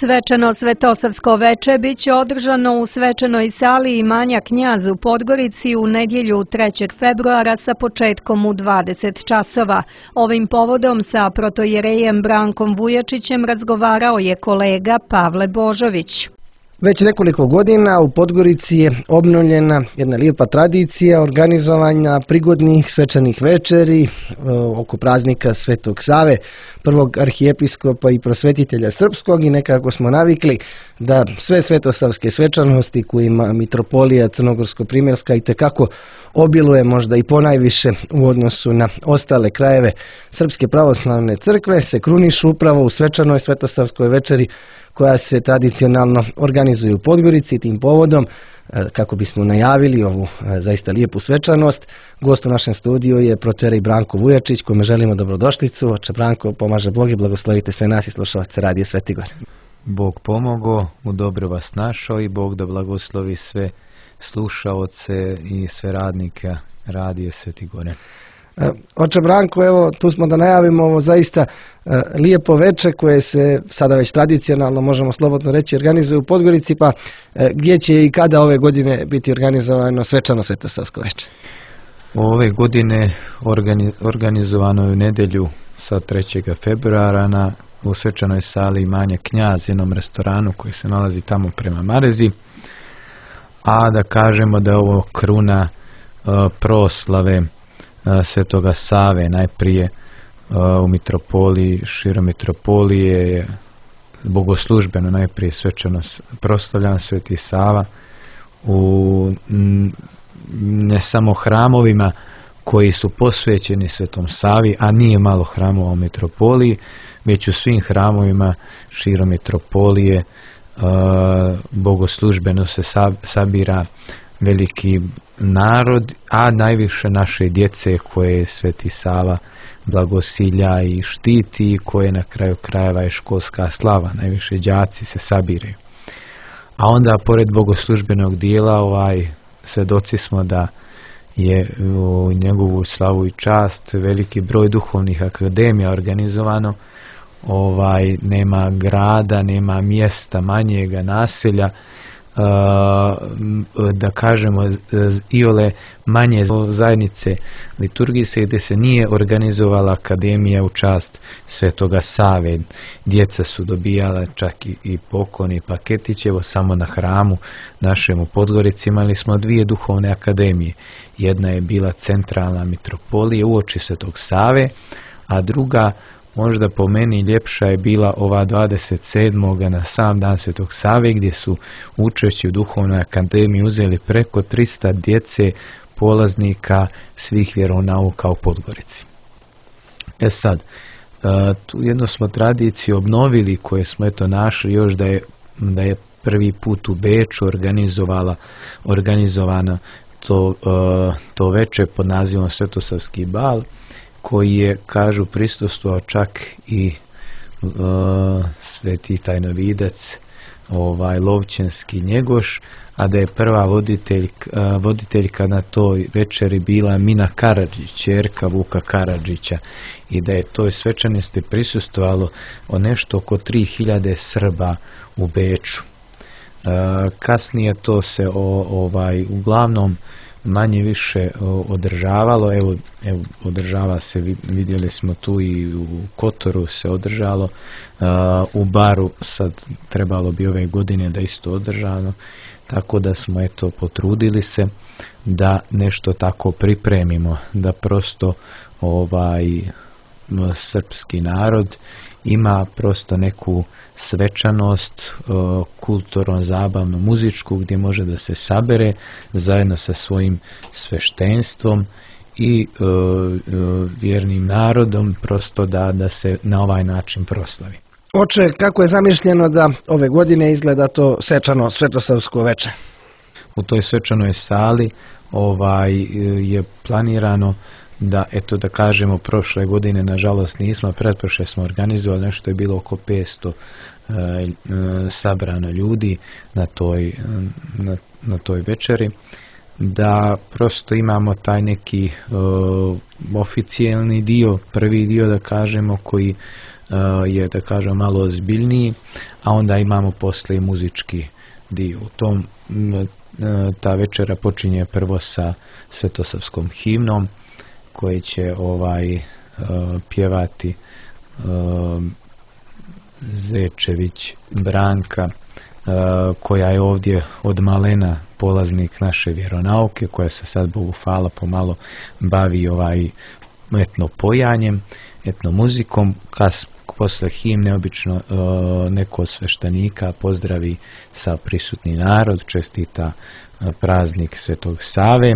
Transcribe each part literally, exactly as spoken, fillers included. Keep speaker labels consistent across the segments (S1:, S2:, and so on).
S1: Svečano svetosavsko veče biće održano u svečanoj sali imanja Knjaz u Podgorici u nedjelju trećeg februara sa početkom u dvadeset časova. Ovim povodom sa protojerejem Brankom Vujačićem razgovarao je kolega Pavle Božović.
S2: Već nekoliko godina u Podgorici je obnovljena jedna lijepa tradicija organizovanja prigodnih svečanih večeri oko praznika Svetog Save, prvog arhijepiskopa i prosvetitelja srpskog, i nekako smo navikli da sve svetosavske svečanosti kojima mitropolija Crnogorsko-primjerska itekako obiluje, možda i ponajviše u odnosu na ostale krajeve Srpske pravoslavne crkve, se krunišu upravo u svečanoj svetosavskoj večeri koja se tradicionalno organizuje u Podgorici. Tim povodom, kako bismo najavili ovu zaista lijepu svečanost, gost u našem studiju je protojerej Branko Vujačić, kome želimo dobrodošlicu. Oče Branko, pomaže Bog i blagoslovite sve nas i slušalce Radija Sveti Gor.
S3: Bog pomogo, u dobro vas našao i Bog da blagoslovi sve slušaoce i sve radnike Radija Sveti Gore.
S2: Oče Branko, evo tu smo da najavimo ovo zaista lijepo veče koje se sada već tradicionalno, možemo slobodno reći, organizuje u Podgorici, pa gdje će i kada ove godine biti organizovano svečano svetosavsko veče?
S3: Ove godine organizovano je u nedjelju sa trećeg februara na u svečanoj sali imanja Knjaz, jednom restoranu koji se nalazi tamo prema Marezi, a da kažemo da je ovo kruna uh, proslave Svetoga Save, najprije u mitropoliji, širom mitropolije je bogoslužbeno najprije svečano proslavljan Sveti Sava u ne samo hramovima koji su posvećeni Svetom Savi, a nije malo hramova u mitropoliji, već u svim hramovima širom mitropolije bogoslužbeno se sabira veliki narod, a najviše naše djece koje Sveti Sava blagosilja i štiti, i koje na kraju krajeva je školska slava, najviše đaci se sabiraju. A onda pored bogoslužbenog dijela ovaj svedoci smo da je u njegovu slavu i čast veliki broj duhovnih akademija organizovano. Ovaj nema grada, nema mjesta, manjega naselja, da kažemo iole manje zajednice liturgijske gdje se nije organizovala akademija u čast Svetoga Save. Djeca su dobijala čak i, i poklon i paketić. Evo samo na hramu našem u Podgorici imali smo dvije duhovne akademije. Jedna je bila centralna mitropolija uoči Svetog Save, a druga, možda po meni ljepša, je bila ova dvadeset sedmog na sam dan Svetog Save, gdje su učešće u duhovnoj akademiji uzeli preko trista djece polaznika svih vjeronauka u Podgorici. E sad, tu jednu smo tradiciju obnovili koje smo eto našli još da je, da je prvi put u Beču organizovala, organizovano to, to veče pod nazivom Svetosavski bal, koji je, kažu, prisustvovao čak i uh, sveti tajnovidac ovaj Lovćenski Njegoš, a da je prva voditelj, uh, voditeljka na toj večeri bila Mina Karadžić, ćerka Vuka Karadžića, i da je toj svečanosti prisustvovalo o nešto oko tri hiljade Srba u Beču. Uh, kasnije to se o, ovaj uglavnom manje više održavalo, evo, evo održava se, vidjeli smo tu i u Kotoru se održalo, uh, u Baru sad trebalo bi ove godine da isto održano, tako da smo eto potrudili se da nešto tako pripremimo, da prosto ovaj srpski narod ima prosto neku svečanost uh, kulturno, zabavno, muzičku, gdje može da se sabere zajedno sa svojim sveštenstvom i uh, uh, vjernim narodom, prosto da, da se na ovaj način proslavi.
S2: Oče, kako je zamišljeno da ove godine izgleda to svečano svetosavsko veče?
S3: U toj svečanoj sali ovaj je planirano da, eto da kažemo, prošle godine nažalost nismo, pretprošle smo organizovali, nešto je bilo oko petsto e, e, sabrano ljudi na toj, na, na toj večeri, da prosto imamo taj neki e, oficijalni dio, prvi dio da kažemo, koji je, da kažem, malo ozbiljniji, a onda imamo posle i muzički dio. U tom ta večera počinje prvo sa svetosavskom himnom koji će ovaj pjevati Zečević Branka, koja je ovdje od malena polaznik naše vjeronauke, koja se sad, Bogu hvala, pomalo bavi ovaj etno pojanjem, etno muzikom. Kas posle himne obično neko od sveštenika pozdravi sa prisutni narod, čestita praznik Svetog Save.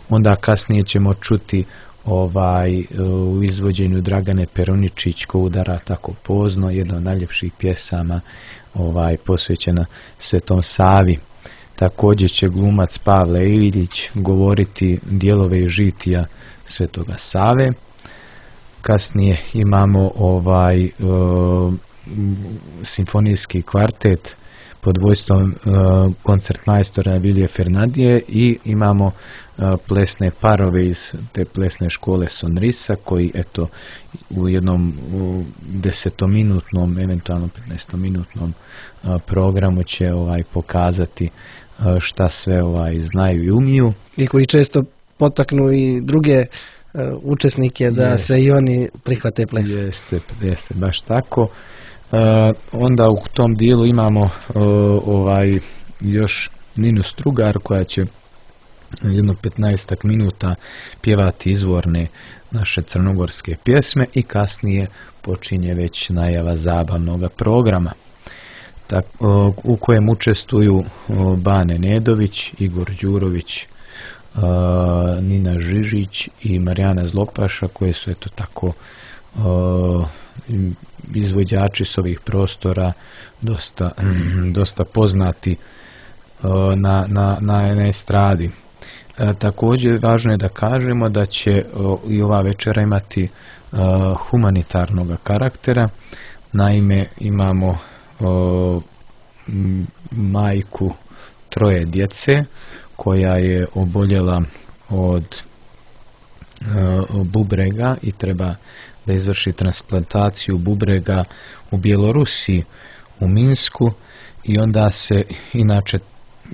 S3: Onda kasnije ćemo čuti ovaj u izvođenju Dragane Peruničić ko udara tako pozno, jedna od najljepših pjesama ovaj posvećena Svetom Savi. Također će glumac Pavle Ilić govoriti dijelove iz žitija Svetoga Save. Kasnije imamo ovaj uh, simfonijski kvartet pod vojstvom uh, koncertmajstora Vilije Fernandije i imamo uh, plesne parove iz te plesne škole Sonrisa koji eto u jednom u desetominutnom, eventualno petnaestominutnom uh, programu će ovaj pokazati uh, šta sve ovaj znaju i umiju.
S2: I koji često potaknu i druge uh, učesnike da
S3: Jest.
S2: se i oni prihvate ples.
S3: Jeste, jeste, baš tako. Uh, onda u tom dijelu imamo uh, ovaj još Ninu Strugar koja će jedno petnaestak minuta pjevati izvorne naše crnogorske pjesme i kasnije počinje već najava zabavnog programa. Tak, uh, u kojem učestvuju uh, Bane Nedović, Igor Đurović, uh, Nina Žižić i Marijana Zlopaša koje su eto tako uh, izvođači s ovih prostora dosta, dosta poznati uh, na, na, na estradi. E, također važno je da kažemo da će uh, i ova večera imati uh, humanitarnog karaktera. Naime, imamo uh, majku troje djece koja je oboljela od uh, bubrega i treba da izvrši transplantaciju bubrega u Bjelorusiji, u Minsku, i onda se inače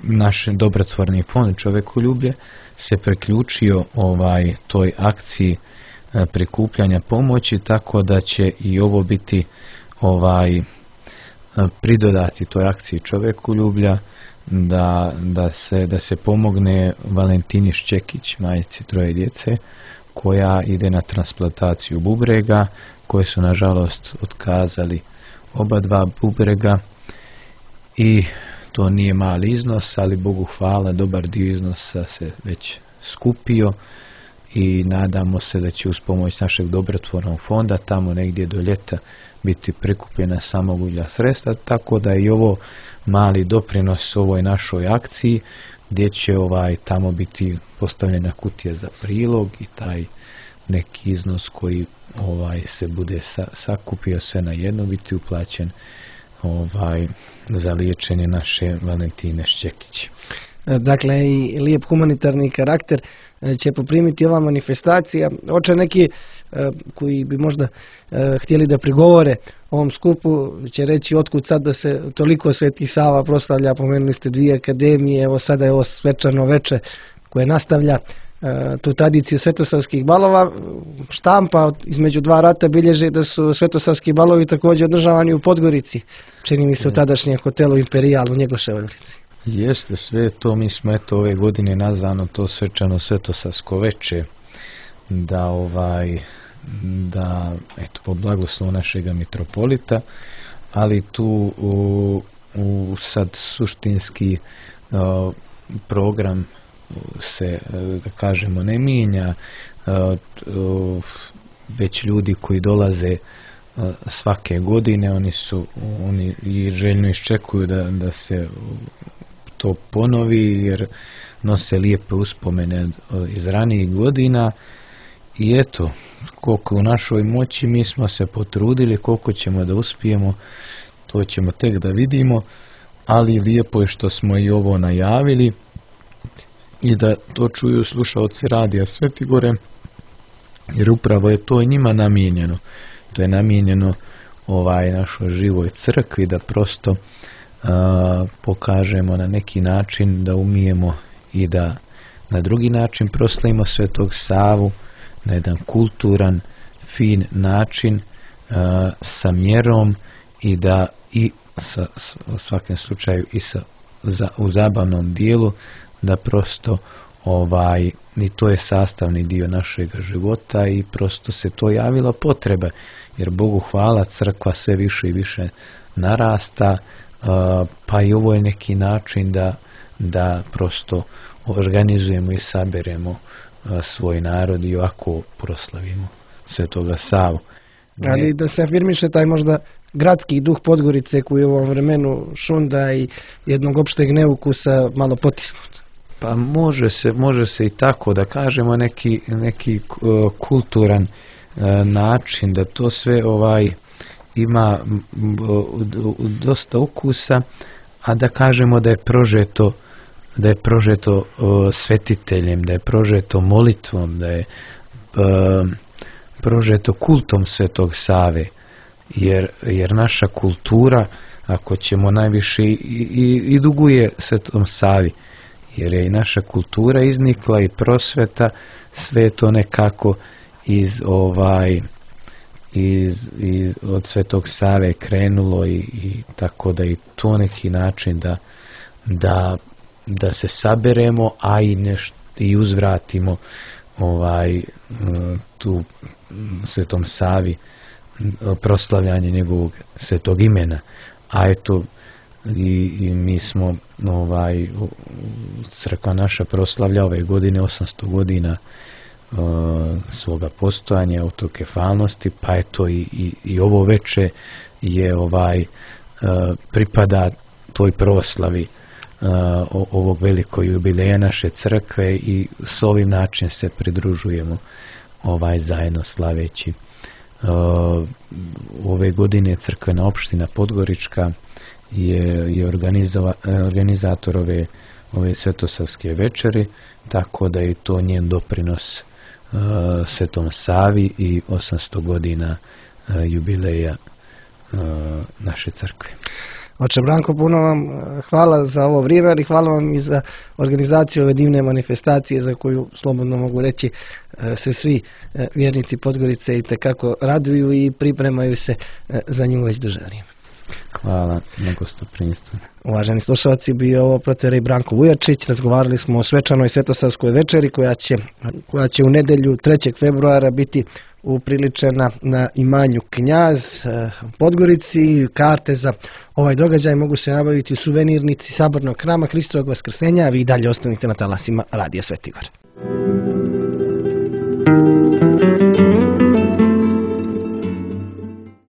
S3: naš dobrotvorni fond Čovekoljublje se priključio ovaj toj akciji e, prikupljanja pomoći, tako da će i ovo biti ovaj e, pridodati toj akciji Čovekoljublja da, da, se, da se pomogne Valentini Ščekić, majci troje djece, koja ide na transplantaciju bubrega, koje su nažalost otkazali oba dva bubrega i to nije mali iznos, ali Bogu hvala, dobar dio iznosa se već skupio i nadamo se da će uz pomoć našeg dobrotvornog fonda tamo negdje do ljeta biti prikupljena samovolja sredstva, tako da i ovo mali doprinos ovoj našoj akciji gdje će ovaj tamo biti postavljena kutija za prilog i taj neki iznos koji ovaj se bude sa, sakupio sve na jedno biti uplaćen ovaj za liječenje naše Valentine Ščekić.
S2: Dakle, i lijep humanitarni karakter će poprimiti ova manifestacija. Oče neki koji bi možda htjeli da prigovore ovom skupu će reći otkud sad da se toliko Sveti Sava proslavlja, pomenuli ste dvije akademije, evo sada je ovo svečano veče koje nastavlja tu tradiciju svetosavskih balova. Štampa između dva rata bilježi da su svetosavski balovi također održavani u Podgorici, čini mi se u tadašnjem hotelu Imperial u Njegoševoj ulici.
S3: Jeste, sve to, mi smo eto ove godine nazvano to svečano svetosavsko veče, da ovaj da eto po blagoslovu našega mitropolita, ali tu u, u sad suštinski uh, program se, da kažemo, ne mijenja, već ljudi koji dolaze svake godine, oni su oni i željno iščekuju da, da se to ponovi, jer nose lijepe uspomene iz ranijih godina. I eto, koliko u našoj moći mi smo se potrudili, koliko ćemo da uspijemo, to ćemo tek da vidimo, ali lijepo je što smo i ovo najavili i da to čuju slušaoci radija Svetigore, jer upravo je to i njima namijenjeno. To je namijenjeno ovaj našoj živoj crkvi, da prosto a, pokažemo na neki način da umijemo i da na drugi način proslavimo Svetog Savu na jedan kulturan, fin način, a, sa mjerom i da i sa, u svakom slučaju i sa, za, u zabavnom dijelu, da prosto ovaj, i to je sastavni dio našeg života i prosto se to javila potreba, jer Bogu hvala, crkva sve više i više narasta, pa i ovo je neki način da, da prosto organizujemo i saberemo svoj narod i ovako proslavimo Svetoga Savu.
S2: Ali da se afirmiše taj možda gradski duh Podgorice koji u ovom vremenu šunda i jednog opšteg neukusa malo potisnut.
S3: Pa može se, može se i tako da kažemo, neki, neki uh, kulturan uh, način da to sve ovaj ima uh, dosta ukusa, a da kažemo da je prožeto da je prožeto uh, svetiteljem, da je prožeto molitvom, da je uh, prožeto kultom Svetog Save, jer, jer naša kultura, ako ćemo najviše i, i, i duguje Svetom Savi, jer je i naša kultura iznikla i prosveta, sve to nekako iz ovaj iz, iz od Svetog Save krenulo i, i tako da i to neki način da da da se saberemo, a i nešto i uzvratimo ovaj tu Svetom Savi proslavljanje njegovog svetog imena. A eto i, i mi smo ovaj crkva naša proslavlja ove godine osamsto godina uh, svoga postojanja, autokefalnosti, pa eto i, i, i ovo veče je ovaj uh, pripada toj proslavi uh, ovog velikog jubileja naše crkve i s ovim način se pridružujemo ovaj zajedno slaveći. Uh, ove godine crkvena opština Podgorička je, je organizator ove, ove svetosavske večeri, tako da je to njen doprinos uh, Svetom Savi i osamsto godina uh, jubileja uh, naše crkve.
S2: Oče Branko, puno vam hvala za ovo vrijeme, ali hvala vam i za organizaciju ove divne manifestacije za koju, slobodno mogu reći, se svi vjernici Podgorice i tekako raduju i pripremaju se za nju već duže vrijeme.
S3: Hvala na gostoprimstvu.
S2: Uvaženi slušalci, bio ovo proterej Branko Vujačić. Razgovarali smo o svečanoj svetosavskoj večeri koja će, koja će u nedelju trećeg februara biti upriličena na imanju Knjaz u Podgorici. Karte za ovaj događaj mogu se nabaviti u suvenirnici Sabornog hrama Hristovog Vaskrsenja, a vi dalje ostanite na talasima Radija Svetigor.